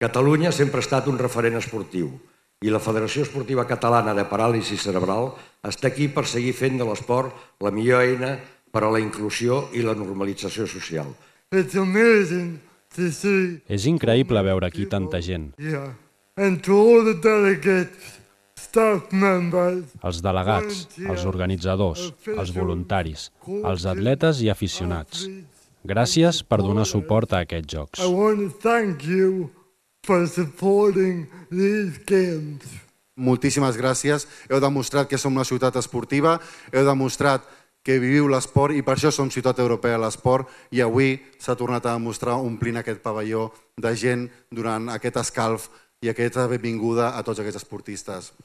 Catalunya sempre ha estat un referent esportiu i la Federació Esportiva Catalana de Paràlisi Cerebral està aquí per seguir fent de l'esport la millor eina per a la inclusió i la normalització social. És increïble veure aquí tanta gent. Els delegats, els organitzadors, els voluntaris, els atletes i aficionats. Gràcies per donar suport a aquests Jocs. Moltíssimes gràcies. Heu demostrat que som una ciutat esportiva, heu demostrat que viviu l'esport i per això som ciutat europea de l'esport i avui s'ha tornat a demostrar omplint aquest pavelló de gent durant aquest escalf i aquesta benvinguda a tots aquests esportistes.